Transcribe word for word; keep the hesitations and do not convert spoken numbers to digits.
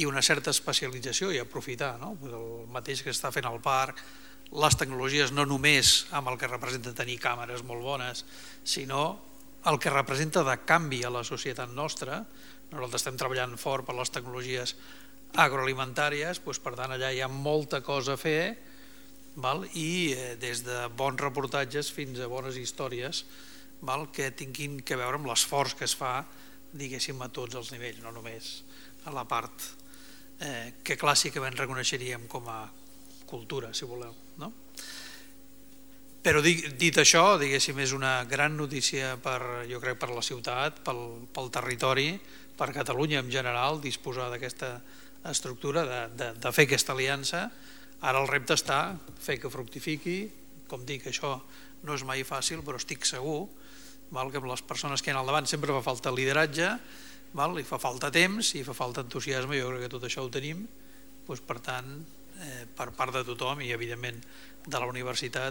i una certa especialització i aprofitar el mateix que està fent el parc, les tecnologies no només amb el que representa tenir càmeres molt bones, sinó el que representa de canvi a la societat nostra. Nosaltres estem treballant fort per les tecnologies agroalimentàries, per tant allà hi ha molta cosa a fer, i des de bons reportatges fins a bones històries que tinguin a veure amb l'esforç que es fa, diguéssim, a tots els nivells, no només a la part que clàssicament reconeixeríem com a cultura, si voleu. Però dit això, diguéssim, és una gran notícia, jo crec, per la ciutat, pel territori, per Catalunya en general, disposar d'aquesta estructura, de fer aquesta aliança. Ara el repte està fer que fructifiqui. Com dic, això no és mai fàcil, però estic segur que amb les persones que hi ha al davant sempre fa falta lideratge, i fa falta temps i fa falta entusiasme. Jo crec que tot això ho tenim. Per tant, per part de tothom i evidentment de la universitat,